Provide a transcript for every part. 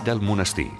del monestir.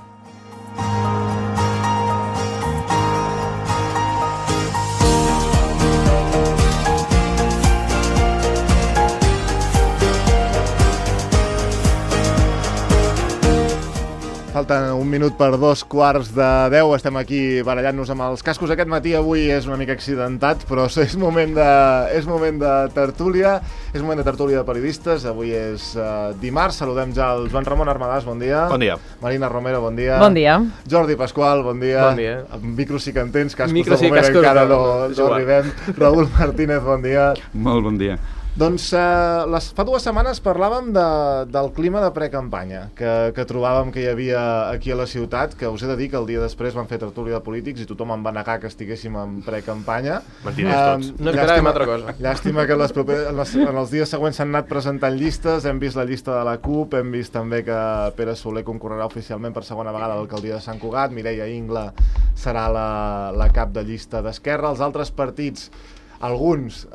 Falta un minut per 9:45. Estem aquí barallant-nos amb els cascos. Aquest matí avui és una mica accidentat, però és moment de tertúlia. És moment de tertúlia de periodistes. Avui és dimarts. Saludem ja el Joan Ramon Armadàs, bon dia. Bon dia. Marina Romero, bon dia. Bon dia. Jordi Pasqual, bon dia. Bon dia. Amb micros sí que en tens, cascos Micros de moment cascos encara no no arribem. Raúl Martínez, bon dia. Molt bon dia. Doncs fa 2 setmanes parlàvem del clima de precampanya que trobàvem que hi havia aquí a la ciutat, que us he de dir que el dia després van fer tertúlia de polítics i tothom em va negar que estiguéssim en precampanya. Mentirers tots. No esperàvem altra cosa. Llàstima que en els dies següents s'han anat presentant llistes. Hem vist la llista de la CUP, hem vist també que Pere Soler concorrerà oficialment per segona vegada a l'alcaldia de Sant Cugat, Mireia Ingla serà la cap de llista d'Esquerra. Els altres partits, alguns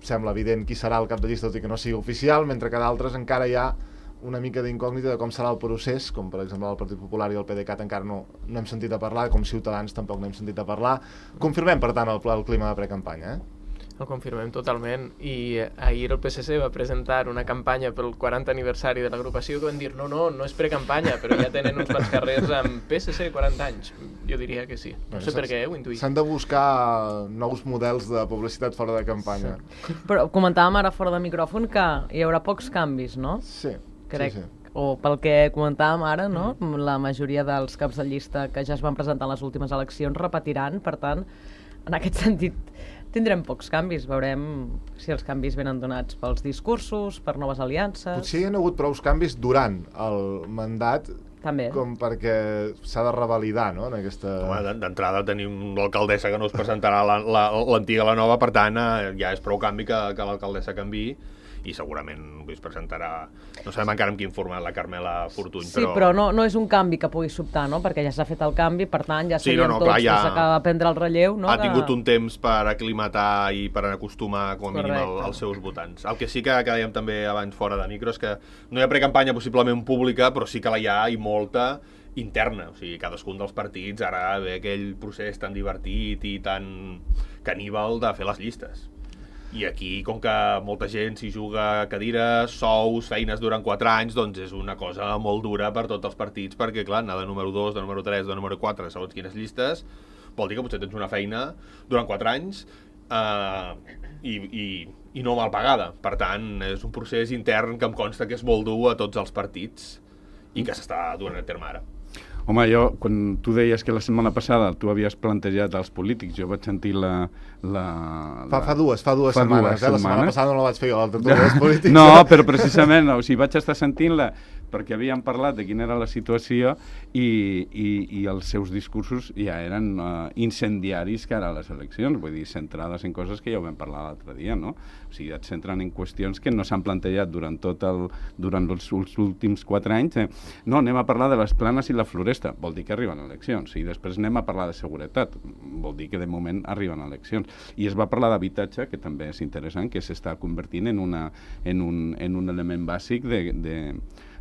sembla evident qui serà el cap de llista, tot i que no sigui oficial, mentre que d'altres encara hi ha una mica d'incògnita de com serà el procés, com per exemple el Partit Popular i el PDeCAT encara no hem sentit a parlar, com Ciutadans tampoc n'hem sentit a parlar. Confirmem, per tant, el clima de precampanya, El confirmem totalment, i ahir el PSC va presentar una campanya pel 40 aniversari de l'agrupació que van dir no és precampanya, però ja tenen uns quants carrers amb PSC 40 anys. Jo diria que sí. No sé per què, ho intuïm. S'han de buscar nous models de publicitat fora de campanya. Sí. Però comentàvem ara fora de micròfon que hi haurà pocs canvis, no? Sí. Crec. Sí. O pel que comentàvem ara, no? La majoria dels caps de llista que ja es van presentar en les últimes eleccions repetiran, per tant, en aquest sentit tindrem pocs canvis, veurem si els canvis venen donats pels discursos, per noves aliances... Potser hi ha hagut prou canvis durant el mandat també, com perquè s'ha de revalidar, no?, en aquesta... Home, d'entrada tenim l'alcaldessa que no es presentarà l'antiga a la nova, per tant ja és prou canvi que l'alcaldessa canviï, i segurament es presentarà, no sabem encara amb quin format, la Carmela Fortuny, sí, però no és un canvi que pugui sobtar, no?, perquè ja s'ha fet el canvi, per tant ja sabíem tots que s'acaba de prendre el relleu, no?, ha tingut un temps per aclimatar i per acostumar com a mínim als seus votants. El que sí que dèiem també abans fora de micro és que no hi ha precampanya possiblement pública, però sí que la hi ha, i molta interna, o sigui, cadascun dels partits ara ve aquell procés tan divertit i tan caníbal de fer les llistes. I aquí, com que molta gent s'hi juga cadires, sous, feines durant 4 anys, doncs és una cosa molt dura per tots els partits, perquè, clar, anar de número 2, de número 3, de número 4, segons quines llistes, vol dir que potser tens una feina durant 4 anys i no mal pagada. Per tant, és un procés intern que em consta que és molt dur a tots els partits i que s'està duent a terme ara. Home, quan tu deies que la setmana passada tu havies plantejat als polítics, jo vaig sentir Fa dues setmanes. La setmana passada no la vaig fer jo, la tertúlia dels polítics. No, però precisament, o sigui, vaig estar sentint-la perquè havíem parlat de quina era la situació i els seus discursos ja eren incendiaris cara a les eleccions, vull dir, centrades en coses que ja ho vam parlar l'altre dia, no? O sigui, et centren en qüestions que no s'han plantejat durant els últims 4 anys. No, anem a parlar de les planes i la floresta, vol dir que arriben eleccions, i després anem a parlar de seguretat, vol dir que de moment arriben eleccions. I es va parlar d'habitatge, que també és interessant, que s'està convertint en un element bàsic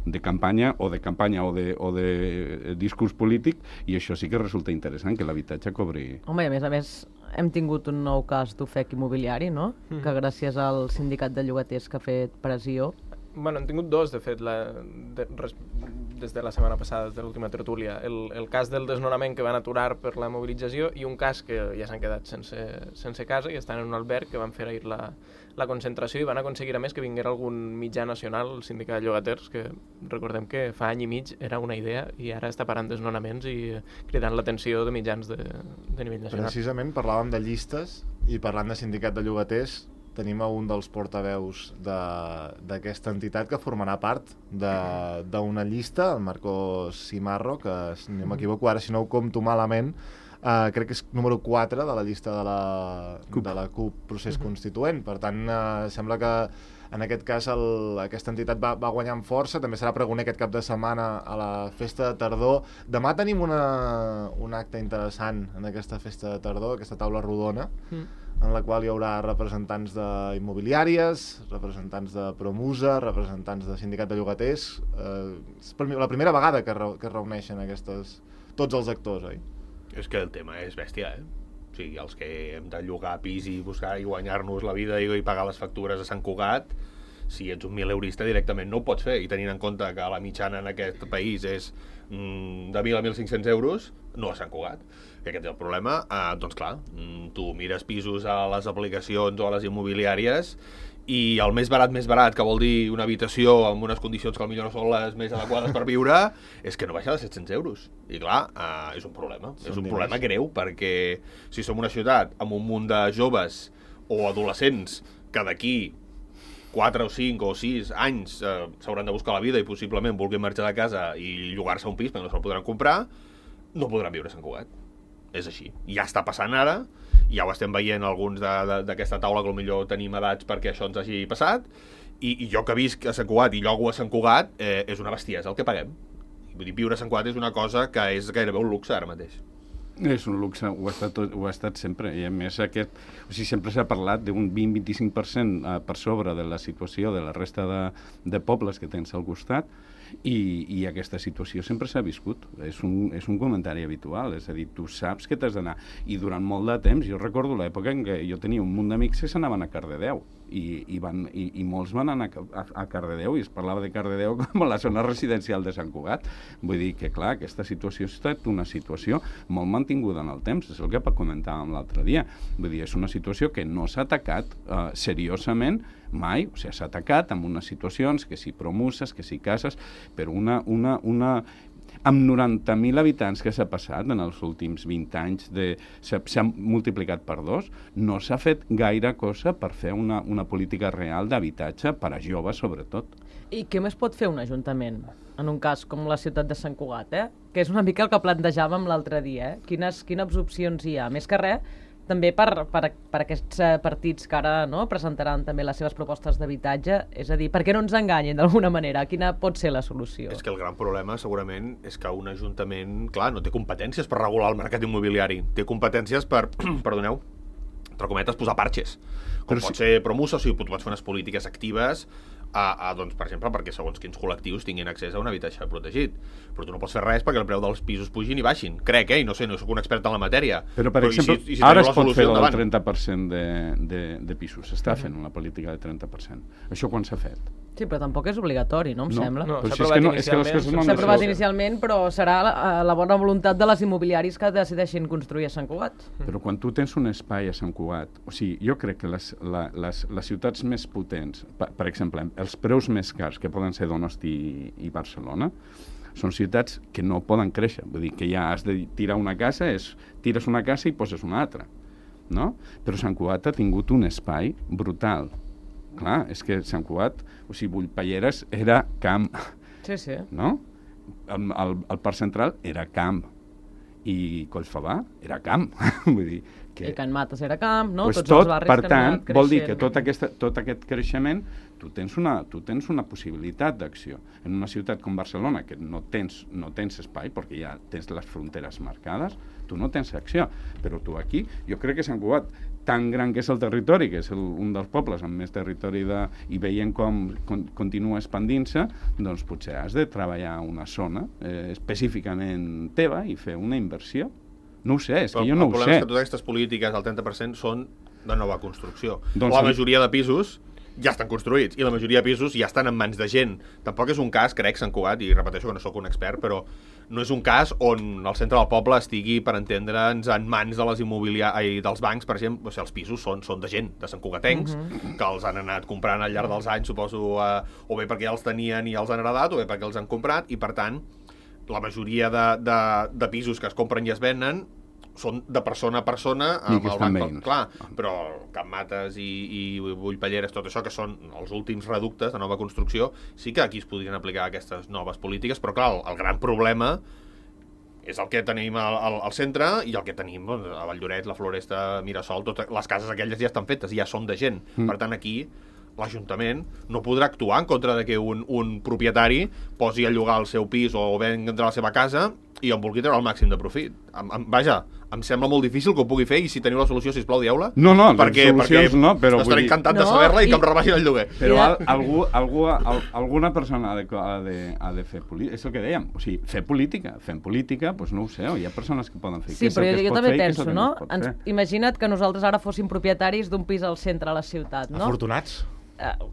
de campanya o de discurs polític, i això sí que resulta interessant, que l'habitatge cobri... Home, i a més hem tingut un nou cas d'ofec immobiliari, no?, que gràcies al sindicat de llogaters que ha fet pressió... Bueno, hem tingut dos, de fet, des de la setmana passada, des de l'última tertúlia. El cas del desnonament que van aturar per la mobilització i un cas que ja s'han quedat sense casa i estan en un alberg, que van fer ahir la concentració i van aconseguir a més que vinguera algun mitjà nacional, el sindicat de llogaters, que recordem que fa any i mig era una idea i ara està parant desnonaments i cridant l'atenció de mitjans de nivell nacional. Precisament parlàvem de llistes i parlant de sindicat de llogaters tenim a un dels portaveus d'aquesta entitat que formarà part d'una llista, el Marcos Cimarro, que si no m'equivoco ara, si no ho compto malament, crec que és número 4 de la llista de la CUP Procés Constituent. Per tant, sembla que En aquest cas, aquesta entitat va guanyar en força, també serà pregoner aquest cap de setmana a la festa de tardor. Demà tenim un acte interessant en aquesta festa de tardor, aquesta taula rodona, en la qual hi haurà representants d'immobiliàries, representants de Promusa, representants de sindicat de llogaters. És la primera vegada que es reuneixen tots els actors, oi? És que el tema és bèstia, O sigui, els que hem de llogar pis i buscar i guanyar-nos la vida i pagar les factures a Sant Cugat, si ets un 1.000eurista directament no ho pots fer, i tenint en compte que la mitjana en aquest país és de 1.000 a 1.500 euros, no a Sant Cugat. I aquest és el problema. Doncs clar, tu mires pisos a les aplicacions o a les immobiliàries i el més barat, que vol dir una habitació amb unes condicions que potser no són les més adequades per viure, és que no baixa de 700 euros. I clar, és un problema. És un problema greu, perquè si som una ciutat amb un munt de joves o adolescents que d'aquí 4 o 5 o 6 anys s'hauran de buscar la vida i possiblement vulguin marxar de casa i llogar-se un pis perquè no se'l podran comprar, no podran viure a Sant Cugat. És així. Ja està passant ara, ja ho estem veient alguns d'aquesta taula que potser tenim edats perquè això ens hagi passat, i jo que visc a Sant Cugat i llogo a Sant Cugat, és una bestiesa el que paguem. Vull dir, viure a Sant Cugat és una cosa que és gairebé un luxe ara mateix. És un luxe, ho ha estat sempre, i a més sempre s'ha parlat d'un 20-25% per sobre de la situació de la resta de pobles que tens al costat, i aquesta situació sempre s'ha viscut. És un comentari habitual, és a dir, tu saps que t'has d'anar, i durant molt de temps, jo recordo l'època en què jo tenia un munt d'amics que s'anaven a Cardedeu, i molts van anar a Cardedeu, i es parlava de Cardedeu com a la zona residencial de Sant Cugat. Vull dir que, clar, aquesta situació ha estat una situació molt mantinguda en el temps, és el que comentàvem l'altre dia. Vull dir, és una situació que no s'ha atacat seriosament mai, o sigui, s'ha atacat amb unes situacions, que si Promuses, que si cases, però amb 90.000 habitants que s'ha passat en els últims 20 anys, s'ha multiplicat per 2, no s'ha fet gaire cosa per fer una política real d'habitatge per a joves, sobretot. I què més pot fer un ajuntament, en un cas com la ciutat de Sant Cugat, que és una mica el que plantejàvem l'altre dia, Quines opcions hi ha? Més que res, també per aquests partits que ara presentaran també les seves propostes d'habitatge, és a dir, per què no ens enganyen d'alguna manera? Quina pot ser la solució? És que el gran problema segurament és que un ajuntament, clar, no té competències per regular el mercat immobiliari, té competències per, perdoneu, entre cometes, posar parxes. Com pot ser Promusa, o sigui, tu pots fer unes polítiques actives doncs, per exemple, perquè segons quins col·lectius tinguin accés a un habitatge protegit. Però tu no pots fer res perquè el preu dels pisos pugin i baixin. Crec, i no sé, no soc un expert en la matèria. Però per exemple, ara es pot fer el 30% de pisos. S'està fent una política de 30%. Això quan s'ha fet? Sí, però tampoc és obligatori, no? Em sembla. No, s'ha aprovat inicialment, però serà la bona voluntat de les immobiliaris que decideixin construir a Sant Cugat. Però quan tu tens un espai a Sant Cugat, o sigui, jo crec que les ciutats més potents, per exemple, els preus més cars, que poden ser Donosti i Barcelona, són ciutats que no poden créixer. Vull dir que ja has de tirar una casa, tires una casa i poses una altra, no? Però Sant Cugat ha tingut un espai brutal. Clar, és que Sant Cugat, o sigui, Bullpalleres era camp, sí. No? El Parc Central era camp, i Collfabà era camp, vull dir que... I Can Mates era camp, no? Pues tots els barris per tant, que han anat creixent. Vol dir que tot aquest creixement tu tens una possibilitat d'acció. En una ciutat com Barcelona, que no tens espai, perquè ja tens les fronteres marcades, tu no tens acció. Però tu aquí, jo crec que Sant Cugat, tan gran que és el territori, que és un dels pobles amb més territori i veient com continua expandint-se, doncs potser has de treballar una zona específicament teva i fer una inversió. No ho sé, és que jo no ho sé. El problema és que totes aquestes polítiques del 30% són de nova construcció. Doncs la majoria de pisos ja estan construïts, i la majoria de pisos ja estan en mans de gent. Tampoc és un cas, crec, Sant Cugat, i repeteixo que no sóc un expert, però no és un cas on el centre del poble estigui, per entendre'ns, en mans de dels bancs, per exemple. O sigui, els pisos són de gent, de Sant Cugatencs, que els han anat comprant al llarg dels anys, suposo, o bé perquè ja els tenien i els han heredat, o bé perquè els han comprat, i per tant, la majoria de pisos que es compren i es venen són de persona a persona amb el banc, clar, però Can Mates i Bullpalleres, tot això, que són els últims reductes de nova construcció, sí que aquí es podrien aplicar aquestes noves polítiques, però clar, el gran problema és el que tenim al centre i el que tenim a Valldoreix, la Floresta, Mirasol, totes les cases aquelles ja estan fetes, ja són de gent. Per tant, aquí l'Ajuntament no podrà actuar en contra de que un propietari posi a llogar el seu pis o vendre la seva casa i en vulgui treure el màxim de profit. Vaja, em sembla molt difícil que ho pugui fer, i si teniu la solució, sisplau, dieu-la. No, solucions no, però... Estaré encantat de saber-la i que em rebaixin el lloguer. Però alguna persona ha de fer política, és el que dèiem, o sigui, fem política, doncs no ho sé, hi ha persones que poden fer. Sí, però jo també penso, no? Imagina't que nosaltres ara fóssim propietaris d'un pis al centre de la ciutat, no? Afortunats.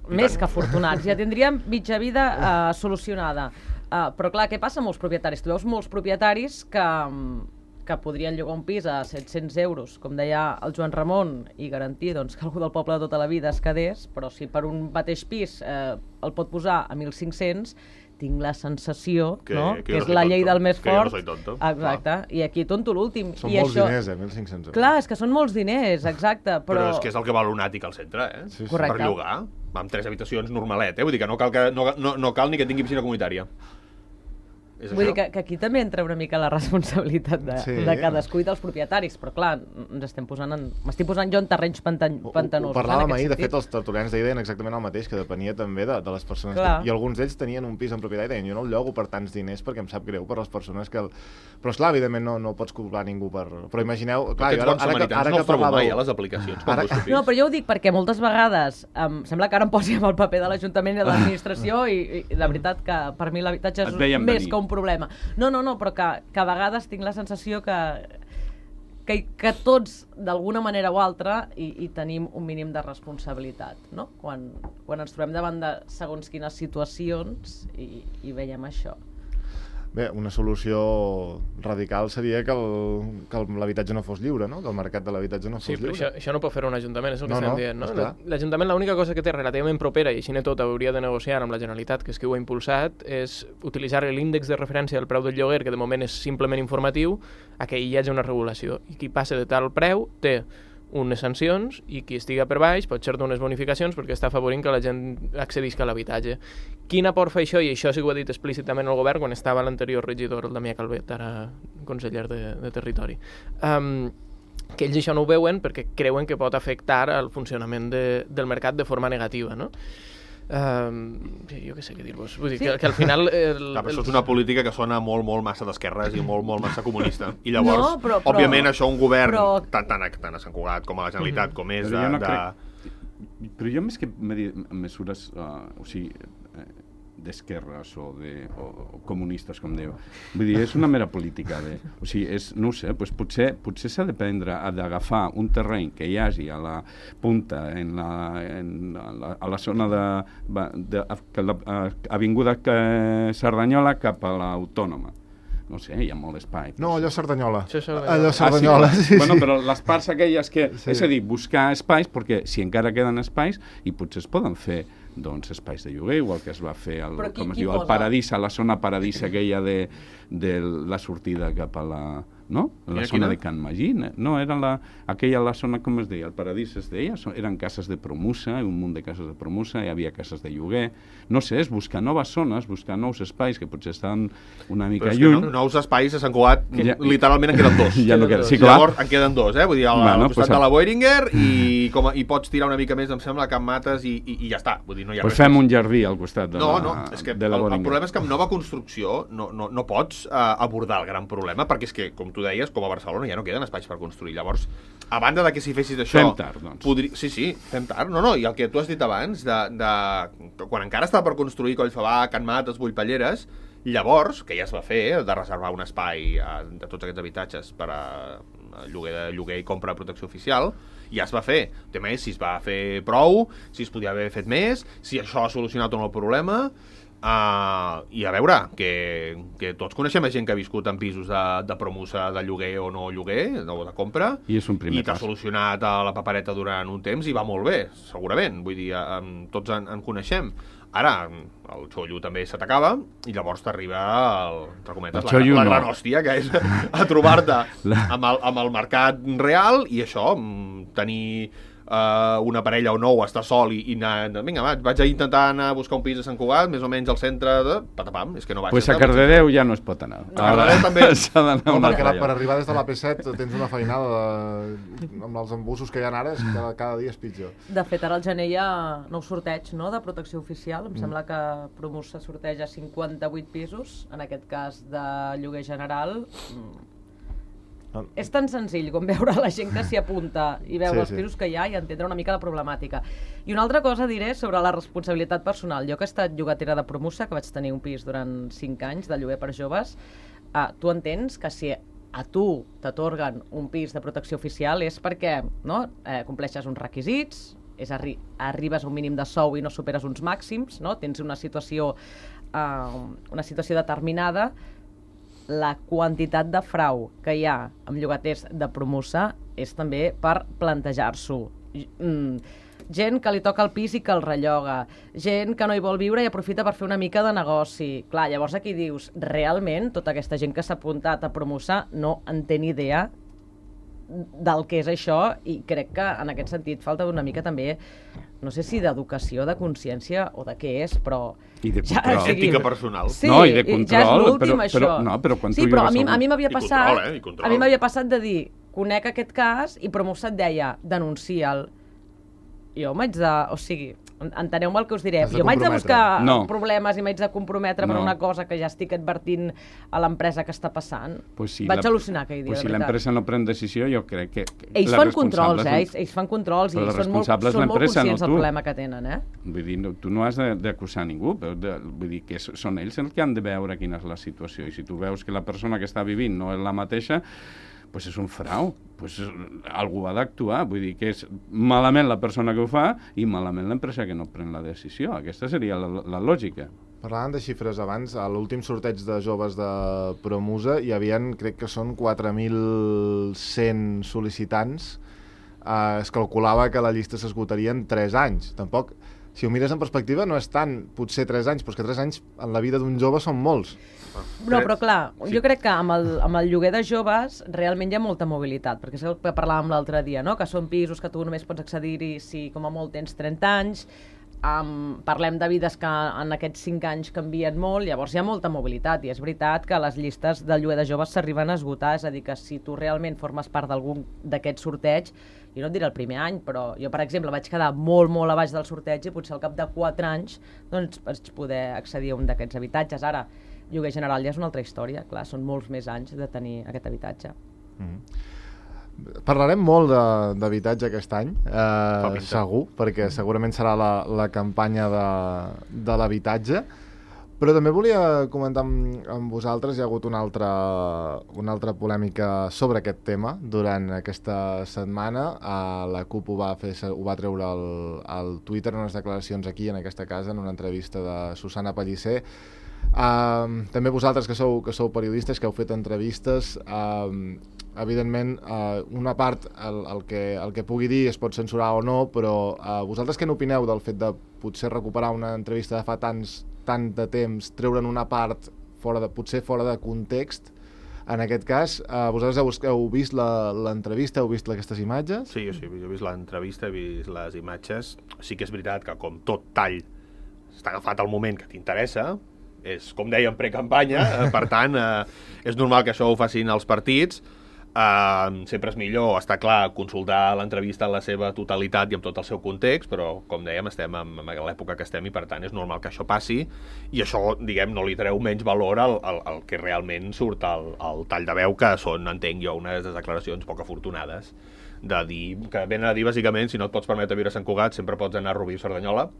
Més que afortunats, ja tindríem mitja vida solucionada. Però clar, què passa amb molts propietaris? Tu veus molts propietaris que podrien llogar un pis a 700 euros, com deia el Joan Ramon, i garantir doncs, que algú del poble de tota la vida es quedés, però si per un mateix pis el pot posar a 1.500, tinc la sensació que és la llei del més fort. Exacte, i aquí tonto l'últim. Són molts diners, 1.500 euros. Clar, és que són molts diners, exacte. Però és que és el que val un àtic al centre, Sí. Per llogar. Amb 3 habitacions normalet, vull dir que no cal ni que tingui piscina comunitària. Vull dir que aquí també entra una mica la responsabilitat de cadascú i dels propietaris, però clar, m'estic posant jo en terrenys pantanosos. Ho parlàvem ahir, de fet els tertulians d'ahir deien exactament el mateix, que depenia també de les persones. I alguns d'ells tenien un pis en propietat i deien, jo no el llogo per tants diners perquè em sap greu per les persones que... Però esclar, evidentment no pots cobrar ningú per... Però imagineu... Clar, ara que parlàveu... les aplicacions. No, però jo ho dic perquè moltes vegades sembla que ara em posi amb el paper de l'Ajuntament i de l'administració i la veritat que per mi l'habitatge és més que un problema. No, però que a vegades tinc la sensació que tots, d'alguna manera o altra, hi tenim un mínim de responsabilitat, no? Quan ens trobem davant de segons quines situacions i veiem això. Bé, una solució radical seria que l'habitatge no fos lliure, no? Que el mercat de l'habitatge no fos lliure. Sí, però això no pot fer un ajuntament, és el que estem dient, no? L'Ajuntament l'única cosa que té relativament propera, i així tot hauria de negociar amb la Generalitat, que és qui ho ha impulsat, és utilitzar l'índex de referència del preu del lloguer, que de moment és simplement informatiu, a que hi hagi una regulació. I qui passa de tal preu té unes sancions i qui estiga per baix pot ser d'unes bonificacions perquè està afavorint que la gent accedisca a l'habitatge. Quin aport fa això? I això sí que ho ha dit explícitament el govern quan estava l'anterior regidor, el Damià Calvet, ara conseller de Territori. Que ells això no ho veuen perquè creuen que pot afectar el funcionament del mercat de forma negativa, no? Jo què sé què dir-vos. Vull dir que al final... Això és una política que sona molt massa d'esquerres i molt massa comunista. I llavors, òbviament, això un govern tant a Sant Cugat com a la Generalitat, com és Però jo més que mesures, o sigui, d'esquerres o comunistes, com diu. Vull dir, és una mera política. O sigui, no ho sé, potser s'ha d'agafar un terreny que hi hagi a la punta, a la zona de Avinguda Cerdanyola cap a l'Autònoma. No sé, hi ha molt espai. No, allò Cerdanyola. Allò Cerdanyola, sí. Bueno, però les parts aquelles que... És a dir, buscar espais, perquè si encara queden espais, i potser es poden fer espais de lloguer, igual que es va fer el Paradís, a la zona Paradís aquella de la sortida cap a la... No? La zona de Can Magí. No, era la zona, com es deia? El Paradís es deia. Eren cases de promusa, un munt de cases de promusa, hi havia cases de lloguer. No sé, és buscar noves zones, buscar nous espais que potser estan una mica lluny. Però nous espais a Sant Cugat, literalment en queden dos. Llavors en queden dos, vull dir, al costat de la Boehringer i pots tirar una mica més, em sembla, a Can Mates i ja està. Vull dir, no hi ha res. Fem un jardí al costat de la Boehringer. És que el problema és que amb nova construcció no pots abordar el gran problema, perquè és que, com tu deies, com a Barcelona ja no queden espais per construir. Llavors, a banda de que si fessis això... Fem tard, doncs. Sí, fem tard. No, i el que tu has dit abans, quan encara estava per construir Collfabà, Can Mates, Bullpalleres, llavors, que ja es va fer, de reservar un espai de tots aquests habitatges per a lloguer i compra de protecció oficial, ja es va fer. El tema és si es va fer prou, si es podia haver fet més, si això ha solucionat o no el problema... I a veure, que tots coneixem gent que ha viscut en pisos de promusa de lloguer o no lloguer, o de compra, i t'ha solucionat a la papereta durant un temps i va molt bé, segurament. Vull dir, tots en coneixem. Ara, el xollo també se t'acaba i llavors t'arriba la gran hòstia, que és a trobar-te amb el mercat real i això, tenir una parella o no, o estar sol i anar... Vinga, vaig a intentar anar a buscar un pis a Sant Cugat, més o menys al centre de... Patapam, és que no vaig. Pues a Cardedeu ja no es pot anar. A Cardedeu també. S'ha d'anar una perquè altra per arribar des de l'AP7 tens una feinada amb els embussos que hi ha ara, és que cada dia és pitjor. De fet, ara al gener hi ha nou sorteig, no?, de protecció oficial. Em sembla que Promusa sorteja 58 pisos, en aquest cas de lloguer general. És tan senzill com veure la gent que s'hi apunta i veure els pisos que hi ha i entendre una mica la problemàtica. I una altra cosa diré sobre la responsabilitat personal. Jo que he estat llogatera de Promusa, que vaig tenir un pis durant 5 anys de lloguer per joves, tu entens que si a tu t'atorguen un pis de protecció oficial és perquè compleixes uns requisits, arribes a un mínim de sou i no superes uns màxims, no? Tens una situació determinada. La quantitat de frau que hi ha amb llogaters de Promusa és també per plantejar-s'ho. Gent que li toca el pis i que el relloga, gent que no hi vol viure i aprofita per fer una mica de negoci. Clar, llavors aquí dius, realment tota aquesta gent que s'ha apuntat a Promusa no en té ni idea del que és això, i crec que en aquest sentit falta una mica també, no sé si d'educació, de consciència o de què és, però... I de control. Ètica personal. Sí, no, i de control, ja és l'últim, això. Però quan sí, tu però a llogues mi m'havia passat... I control. A mi m'havia passat de dir, conec aquest cas, i Promusa et deia, denuncia'l. Jo m'haig de... O sigui, enteneu-me el que us diré. Jo m'haig de buscar problemes i m'haig de comprometre per una cosa que ja estic advertint a l'empresa que està passant. Vaig al·lucinar aquell dia, de veritat. Si l'empresa no pren decisió, jo crec que... Ells fan controls, ells fan controls i són molt conscients del problema que tenen, Vull dir, tu no has d'acusar ningú, vull dir que són ells els que han de veure quina és la situació, i si tu veus que la persona que està vivint no és la mateixa, doncs és un frau, algú ha d'actuar, vull dir que és malament la persona que ho fa i malament l'empresa que no pren la decisió. Aquesta seria la lògica. Parlàvem de xifres abans, a l'últim sorteig de joves de Promusa hi havia, crec que són 4.100 sol·licitants. Es calculava que la llista s'esgotaria en 3 anys. Tampoc, si ho mires en perspectiva, no és tant, potser 3 anys, però és que 3 anys en la vida d'un jove són molts. No, però clar, jo crec que amb el lloguer de joves realment hi ha molta mobilitat, perquè és el que parlàvem l'altre dia, no? Que són pisos que tu només pots accedir-hi si com a molt tens 30 anys, parlem de vides que en aquests 5 anys canvien molt, llavors hi ha molta mobilitat, i és veritat que les llistes del lloguer de joves s'arriben a esgotar, és a dir, que si tu realment formes part d'algun d'aquest sorteig, jo no et diré el primer any, però jo, per exemple, vaig quedar molt, molt a baix del sorteig i potser al cap de 4 anys doncs vaig poder accedir a un d'aquests habitatges. Ara, lloguer general ja és una altra història, clar, són molts més anys de tenir aquest habitatge. Parlarem molt d'habitatge aquest any, segur, perquè segurament serà la campanya de l'habitatge, però també volia comentar amb vosaltres, hi ha hagut una altra polèmica sobre aquest tema durant aquesta setmana. La CUP ho va treure al Twitter en unes declaracions aquí, en aquesta casa, en una entrevista de Susana Pellicer. També vosaltres que sou periodistes, que heu fet entrevistes, evidentment una part el que pugui dir es pot censurar o no, però vosaltres què n'opineu del fet de potser recuperar una entrevista de fa tant de temps, treure'n una part potser fora de context? En aquest cas, vosaltres heu vist l'entrevista, heu vist aquestes imatges? Sí, jo he vist l'entrevista, he vist les imatges. Sí que és veritat que com tot tall està agafat al moment que t'interessa, és, com dèiem, precampanya, per tant, és normal que això ho facin els partits. Sempre és millor, està clar, consultar l'entrevista en la seva totalitat i amb tot el seu context, però, com dèiem, estem en l'època que estem i, per tant, és normal que això passi, i això, diguem, no li treu menys valor al que realment surt al tall de veu, que són, entenc jo, unes declaracions poc afortunades, de dir, que venen a dir, bàsicament, si no et pots permetre viure a Sant Cugat, sempre pots anar a Rubí o Cerdanyola,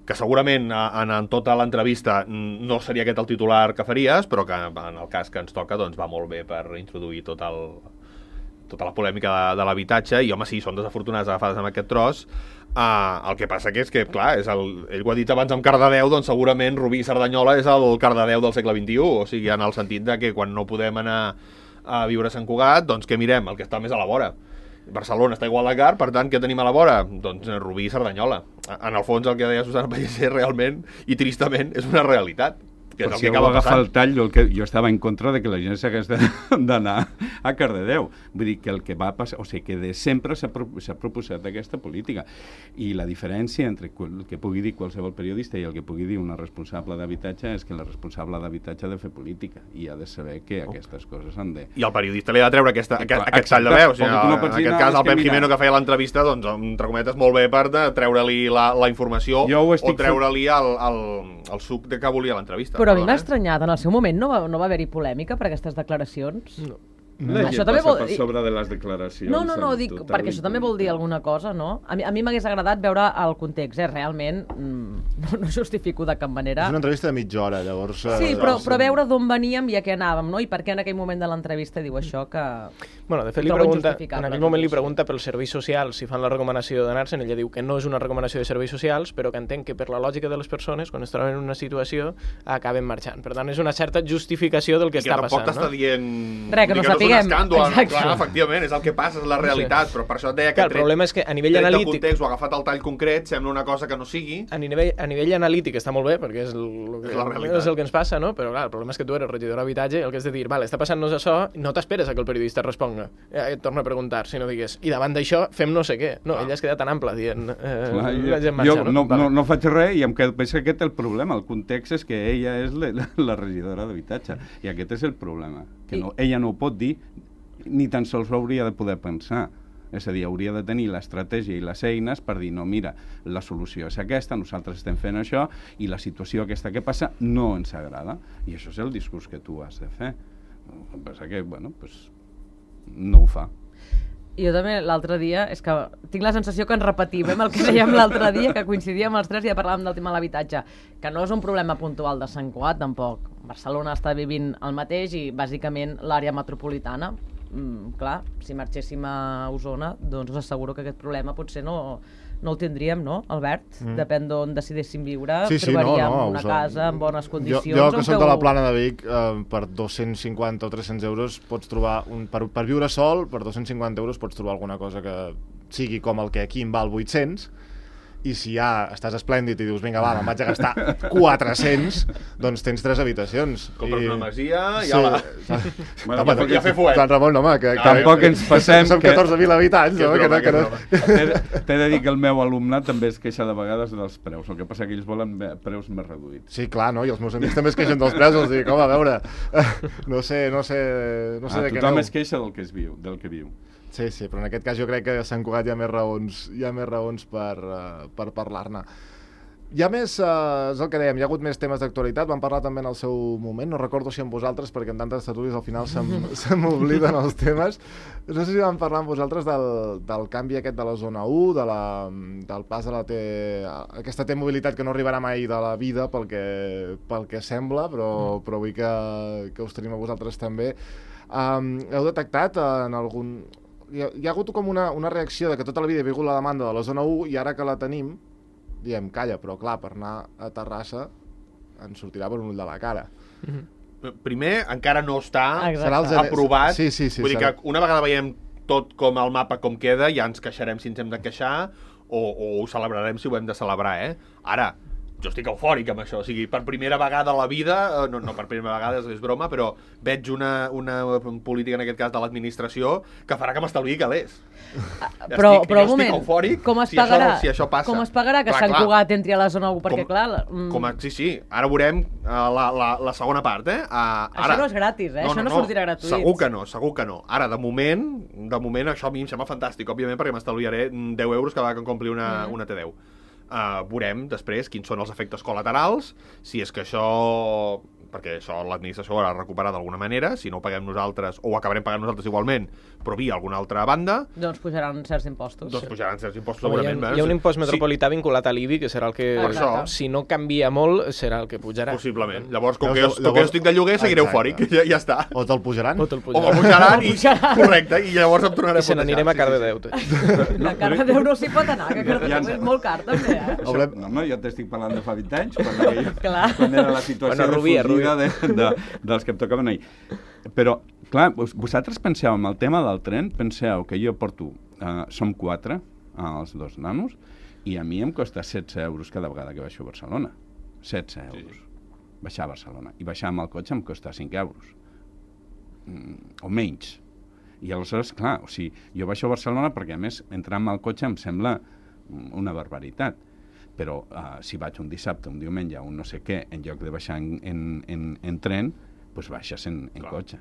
que segurament en tota l'entrevista no seria aquest el titular que faries, però que en el cas que ens toca doncs va molt bé per introduir tota la polèmica de l'habitatge, i home, sí, són desafortunades agafades amb aquest tros. El que passa que és que, clar, ell ho ha dit abans amb Cardedeu, doncs segurament Rubí i Cerdanyola és el Cardedeu del segle XXI, o sigui, en el sentit de que quan no podem anar a viure a Sant Cugat, doncs què mirem? El que està més a la vora. Barcelona està igual de car, per tant, què tenim a la vora? Doncs Rubí i Cerdanyola. En el fons, el que deia Susana Pellicer realment, i tristament, és una realitat. que és el si que algú acaba agafa passant. el tall, jo estava en contra de que la gent s'hagués d'anar a Cardedeu. Vull dir que el que va passar, o sigui, que de sempre s'ha proposat aquesta política. I la diferència entre el que pugui dir qualsevol periodista i el que pugui dir una responsable d'habitatge és que la responsable d'habitatge ha de fer política i ha de saber que aquestes coses han de... I el periodista li ha de treure aquest tall de veu. O sigui, en aquest cas, el Pep Jimeno que feia l'entrevista, doncs, entre cometes, molt bé per treure-li la informació o treure-li el suc que volia l'entrevista. Però a mi m'ha estranyat, en el seu moment no va haver-hi polèmica per aquestes declaracions? No. Això també vol dir... per sobre de les declaracions. No, dic, perquè això també vol dir alguna cosa, no? A mi m'hagués agradat veure el context, realment no justifico de cap manera. És una entrevista de mitja hora, llavors... Sí, però veure d'on veníem i a què anàvem, no? I per què en aquell moment de l'entrevista diu això que... Bueno, de fet, en aquell moment li pregunta pels serveis socials si fan la recomanació d'anar-se'n. Ella diu que no és una recomanació de serveis socials, però que entenc que per la lògica de les persones, quan es troben en una situació, acaben marxant. Per tant, és una certa justificació del que està passant. I que tampoc t'està dient... Res, que no sapiguem. Clar, efectivament, és el que passa, és la realitat, però per això et deia que el problema és que a nivell analític... context o agafat el tall concret, sembla una cosa que no sigui... A nivell analític està molt bé, perquè és el que ens passa, no? Però clar, el problema és que tu eres regidor d'habitatge i el que has de dir, vale, està passant-nos això, no t'esperes a que el periodista responga, et torna a preguntar, si no digues, i davant d'això fem no sé què. No, ella es queda tan ampla dient... Jo no faig res i em quedo, penso que aquest és el problema. El context és que ella és la regidora d'habitatge i aquest és el problema, que ella no ho pot dir ni tan sols ho hauria de poder pensar. És a dir, hauria de tenir l'estratègia i les eines per dir, no, mira, la solució és aquesta, nosaltres estem fent això i la situació aquesta que passa no ens agrada. I això és el discurs que tu has de fer. El que passa que, bueno, pues, no ho fa. Jo també l'altre dia, és que tinc la sensació que ens repetim el que dèiem l'altre dia, que coincidíem els tres i ja parlàvem del tema de l'habitatge, que no és un problema puntual de Sant Cugat, tampoc. Barcelona està vivint el mateix i bàsicament l'àrea metropolitana. Clar, si marxéssim a Osona, doncs us asseguro que aquest problema potser no el tindríem, no, Albert? Depèn d'on decidíssim viure, trobaríem una casa en bones condicions. Jo que soc de la Plana de Vic, per 250 o 300 euros pots trobar, per viure sol, per 250 euros pots trobar alguna cosa que sigui com el que aquí em val 800, i si ja estàs esplèndid i dius, vinga, va, me'n vaig a gastar 400, doncs tens 3 habitacions. Compres una masia i sí. Bueno, ja fer fuet. Sant Ramon, home, que tampoc ens passem som 14.000 habitants, home, que no... T'he de dir que el meu alumnat també es queixa de vegades dels preus, el que passa que ells volen preus més reduïts. Sí, clar, no? I els meus amics també es queixen dels preus, els dic, home, a veure, no sé de què aneu. Tothom es queixa del que viu. Sí, però en aquest cas jo crec que a Sant Cugat hi ha més raons per parlar-ne. Hi ha més, és el que dèiem, hi ha hagut més temes d'actualitat, vam parlar també en el seu moment, no recordo si amb vosaltres, perquè en tantes tertúlies al final se m'obliden els temes. No sé si vam parlar amb vosaltres del canvi aquest de la zona 1, del pas de aquesta T-mobilitat que no arribarà mai de la vida pel que sembla, però vull que us tenim a vosaltres també. Heu detectat en algun... Hi ha hagut com una reacció de que tota la vida he vingut la demanda de la zona 1 i ara que la tenim, diem, calla, però clar, per anar a Terrassa ens sortirà per un ull de la cara. Primer, encara no està aprovat. Sí, vull dir que una vegada veiem tot com el mapa com queda, ja ens queixarem si ens hem de queixar o ho celebrarem si ho hem de celebrar, Ara, jo estic eufòric amb això, o sigui, per primera vegada a la vida, no per primera vegada, és broma, però veig una política, en aquest cas, de l'administració, que farà que m'estalviï calés. Però un moment, eufòric, com es pagarà? Si això passa. Com es pagarà que Sant Cugat entri a la zona 1? Perquè, clar... Sí, ara veurem la segona part, Això no és gratis, això no sortirà gratuït. Segur que no. Ara, de moment, això a mi em sembla fantàstic, òbviament, perquè m'estalviaré 10 euros cada vegada que em compli una T10. Veurem després quins són els efectes col·laterals, si és que això, perquè això l'administració ho haurà de recuperar d'alguna manera, si no ho paguem nosaltres, o ho acabarem pagant nosaltres igualment, però via alguna altra banda, doncs pujaran certs impostos. Segurament. Hi ha un impost metropolità vinculat a l'IBI, que serà el que, si no canvia molt, serà el que pujarà. Possiblement. Llavors, com que jo estic de lloguer, seguiré eufòric, ja està. O te'l pujaran. O me'l pujaran, correcte, i llavors em tornaré a I se n'anirem a Cardedeu. A Cardedeu no s'hi pot anar, que Cardedeu és molt car, també, No, jo t'estic parlant de fa 20 anys, quan era la situació Rubia. dels que em tocaven ahir. Però, clar, vosaltres penseu en el tema del tren, penseu que jo porto, som 4, els 2 nanos, i a mi em costa 16 euros cada vegada que baixo a Barcelona. 16 euros. baixar a Barcelona. I baixar amb el cotxe em costa 5 euros. O menys. I aleshores, clar, o sigui, jo baixo a Barcelona perquè, a més, entrar amb el cotxe em sembla una barbaritat. Però si vaig un dissabte, un diumenge, un no sé què, en lloc de baixar en tren, doncs baixes en cotxe.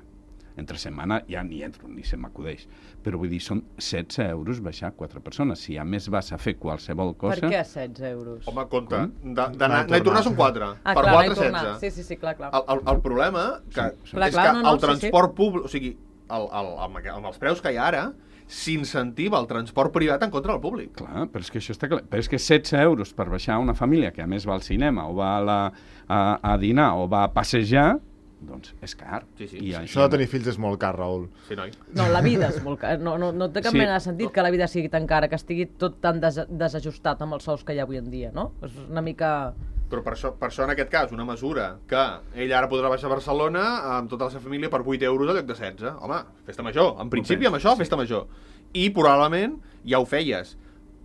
Entre setmana ja ni entro, ni se m'acudeix. Però vull dir, són 16 euros baixar 4 persones. Si a més vas a fer qualsevol cosa... Per què 16 euros? Home, compte, d'anar i tornar són 4. Per clar, 4, 16. Sí, clar. El problema és que el transport públic, o sigui, amb els preus que hi ha ara, s'incentiva el transport privat en contra del públic. Clar, però és que això està clar. Però és que 16 euros per baixar una família que a més va al cinema o va a dinar o va a passejar, doncs és car. Sí. Això de tenir fills és molt car, Raül. Sí, noi. No, la vida és molt cara. No té cap mena de sentit que la vida sigui tan cara, que estigui tot tan desajustat amb els sous que hi ha avui en dia, no? És una mica... Però per això, en aquest cas, una mesura que ell ara podrà baixar a Barcelona amb tota la seva família per 8 euros al lloc de 16. Home, festa major. En principi, amb això, festa major. I probablement ja ho feies.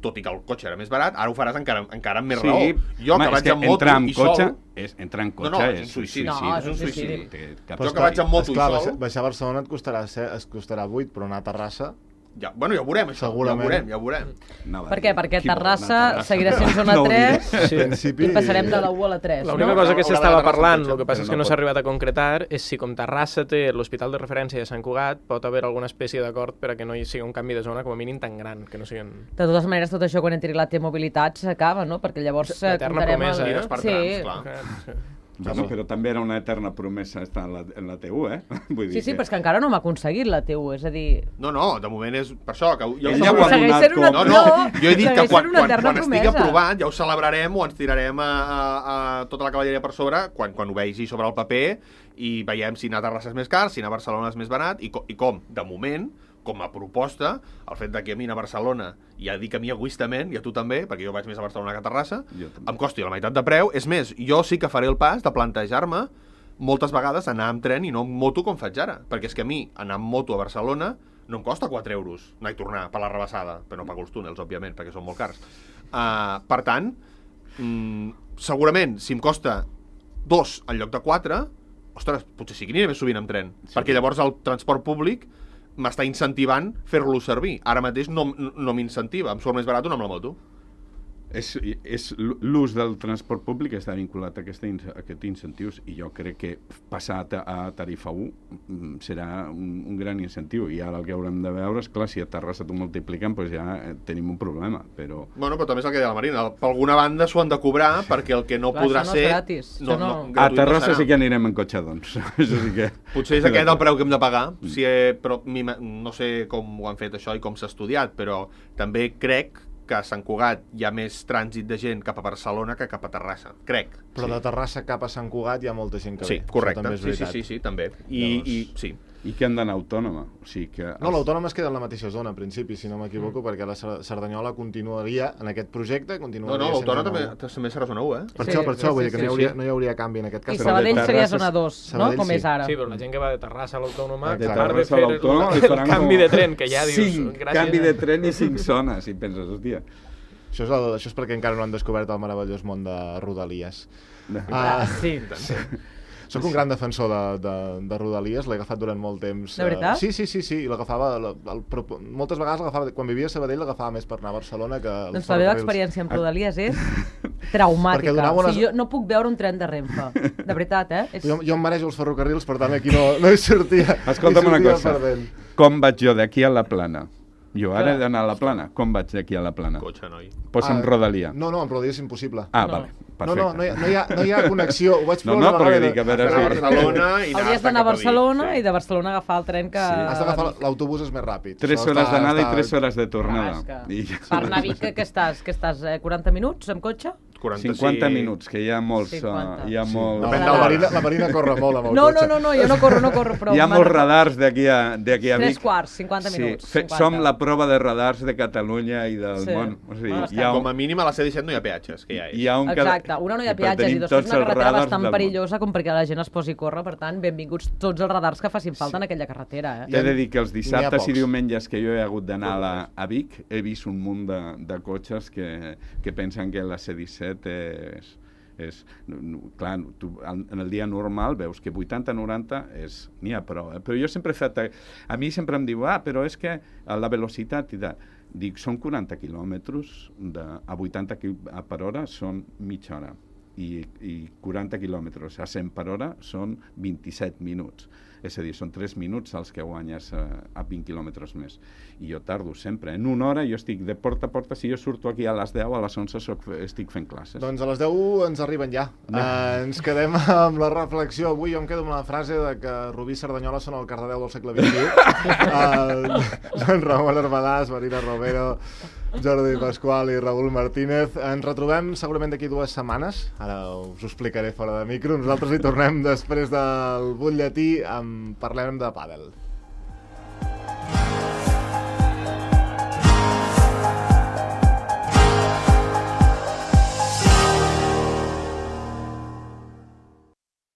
Tot i que el cotxe era més barat, ara ho faràs encara amb més raó. Jo, que vaig amb moto i sol... Entrar en cotxe és un suïcidi. No, és un suïcidi. Jo que vaig amb moto i sol... Baixar a Barcelona et costarà 8, però anar a Terrassa... Ja ho veurem, això. Segurament. Ja ho veurem. No, per què? Perquè Terrassa seguirà sent zona 3 i passarem de la 1 a la 3. L'única cosa que s'estava parlant, el que passa és que no s'ha arribat a concretar, és si com Terrassa té l'hospital de referència de Sant Cugat, pot haver alguna espècie d'acord per a que no hi sigui un canvi de zona com a mínim tan gran, que no siguin... De totes maneres, tot això quan entri la T-mobilitat s'acaba, no? Perquè llavors l'eterna promesa, per trams, clar. Bueno, però també era una eterna promesa estar en la T1, Vull dir sí, però és que encara no m'ha aconseguit la T1, és a dir... No, de moment és per això, que jo he dit que quan estigui aprovat ja ho celebrarem o ens tirarem a tota la cavalleria per sobre quan ho vegi sobre el paper i veiem si anar a Terrassa és més car, si anar a Barcelona és més barat i com, de moment, com a proposta, el fet que a mi anar a Barcelona, ja dic a mi egoistament, i a tu també, perquè jo vaig més a Barcelona que a Terrassa, em costi la meitat de preu. És més, jo sí que faré el pas de plantejar-me moltes vegades anar amb tren i no amb moto com faig ara, perquè és que a mi anar amb moto a Barcelona no em costa 4 euros anar i tornar per la rebassada, però no pago els túnels, òbviament, perquè són molt cars. Per tant, segurament, si em costa 2 en lloc de 4, ostres, potser sí que aniré més sovint amb tren, perquè llavors el transport públic m'està incentivant fer-lo servir. Ara mateix no m'incentiva, em surt més barat anar amb la moto. L'ús del transport públic està vinculat a aquests incentius i jo crec que passar a tarifa 1 serà un gran incentiu i ara el que haurem de veure és, clar, si a Terrassa t'ho multipliquen, doncs ja tenim un problema, però... Bueno, però també és el que deia la Marina, per alguna banda s'ho han de cobrar perquè el que no podrà ser... Gratis. A Terrassa sí que anirem en cotxe, doncs. Potser és aquest el preu que hem de pagar, però no sé com ho han fet això i com s'ha estudiat, però també crec que a Sant Cugat hi ha més trànsit de gent cap a Barcelona que cap a Terrassa, crec. Però de Terrassa cap a Sant Cugat hi ha molta gent que ve. Sí, correcte, sí, també. Sí. I que han d'anar autònoma. O sigui que... No, l'autònoma es queda en la mateixa zona, en principi, si no m'equivoco, perquè la Cerdanyola continuaria en aquest projecte, continuaria... No, l'autònoma també serà zona 1, Per això, vull dir que no hi hauria canvi en aquest cas. I Sabadell seria zona 2, no? Com és ara. Sí, però la gent que va de Terrassa a l'autònoma, de Terrassa a l'autònoma, el canvi de tren, que ja dius... 5 canvi de tren i 5 zones, i penses, hòstia... Això és perquè encara no han descobert el meravellós món de Rodalies. Sí. Soc un gran defensor de Rodalies, l'he agafat durant molt temps. De veritat? Sí, l'agafava... Moltes vegades l'agafava... Quan vivia a Sabadell l'agafava més per anar a Barcelona que... Doncs la meva experiència amb Rodalies és traumàtica. Jo no puc veure un tren de Renfe. De veritat, Jo em marejo els ferrocarrils, per tant aquí no hi sortia. Escolta'm una cosa, com vaig jo d'aquí a la Plana? Jo ara he d'anar a la Plana. Com vaig d'aquí a la Plana? Cotxe, noi. Posa'm Rodalia. No, amb Rodalia és impossible. Vale, perfecte. No hi ha connexió. Ho vaig fer una vegada. Perquè dic, a veure si... Hauries d'anar a Barcelona i de Barcelona agafar el tren que... Has d'agafar l'autobús, és més ràpid. 3 hores d'anada i 3 hores de tornada. Per anar a Vic, que estàs 40 minuts amb cotxe? 50 minuts, que hi ha molts... La Marina corre molt amb el cotxe. No, jo no corro prou. Hi ha molts radars d'aquí a Vic. 3 quarts, 50 minuts. Som la prova de radars de Catalunya i del món. Com a mínim a la C-17 no hi ha peatges, que ja és. Exacte, una no hi ha peatges i dos és una carretera bastant perillosa com perquè la gent es posi a córrer, per tant, benvinguts tots els radars que facin falta en aquella carretera. T'he de dir que els dissabtes i diumenges que jo he hagut d'anar a Vic he vist un munt de cotxes que pensen que la C-17 Clar, tu en el dia normal veus que 80-90 n'hi ha prou, però jo sempre he fet... A mi sempre em diu, però és que la velocitat... Dic, són 40 quilòmetres a 80 per hora són mitja hora i 40 quilòmetres a 100 per hora són 27 minuts. És a dir, són 3 minuts els que guanyes a 20 quilòmetres més. I jo tardo sempre. En una hora jo estic de porta a porta, si jo surto aquí a les 10, a les 11 estic fent classes. Doncs a les 10 ens arriben ja. Ens quedem amb la reflexió. Avui jo em quedo amb la frase de que Rubí i Cerdanyola són el Cardedeu del segle XXI. Joan Ramon Arbadàs, Marina Romero, Jordi Pasqual i Raül Martínez. Ens retrobem segurament d'aquí 2 setmanes. Ara us ho explicaré fora de micro. Nosaltres hi tornem després del butlletí. Parlem de pàdel.